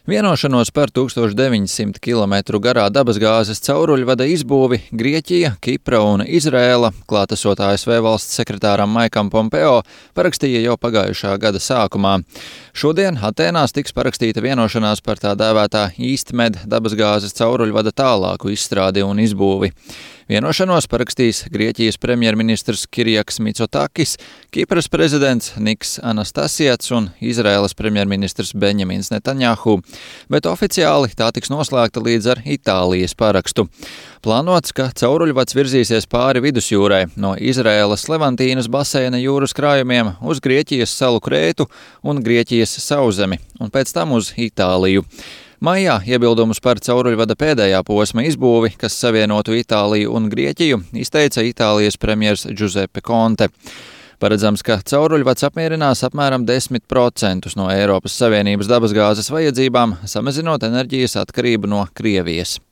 Vienošanos par 1900 km garā dabasgāzes cauruļvada izbūvi Grieķija, Kipra un Izraēla, klātesot ASV valsts sekretāram Maikam Pompeo, parakstīja jau pagājušā gada sākumā. Šodien Atēnās tiks parakstīta vienošanās par tā dēvētā EastMed dabasgāzes cauruļvada tālāku izstrādi un izbūvi. Vienošanos parakstīs Grieķijas premjerministrs Kirijaks Mitsotakis, Kipras prezidents Niks Anastasiats un Izraēlas premjerministrs Benjamins Netanjahu, bet oficiāli tā tiks noslēgta līdz ar Itālijas parakstu. Plānots, ka cauruļvads virzīsies pāri vidusjūrai no Izraēlas Levantīnas baseina jūras krājumiem uz Grieķijas salu Krētu un Grieķijas sauszemi un pēc tam uz Itāliju. Maijā iebildumus par cauruļvada pēdējā posma izbūvi, kas savienotu Itāliju un Grieķiju, izteica Itālijas premjers Giuseppe Conte. Paredzams, ka cauruļvads apmierinās apmēram 10% no Eiropas Savienības dabasgāzes vajadzībām, samazinot enerģijas atkarību no Krievijas.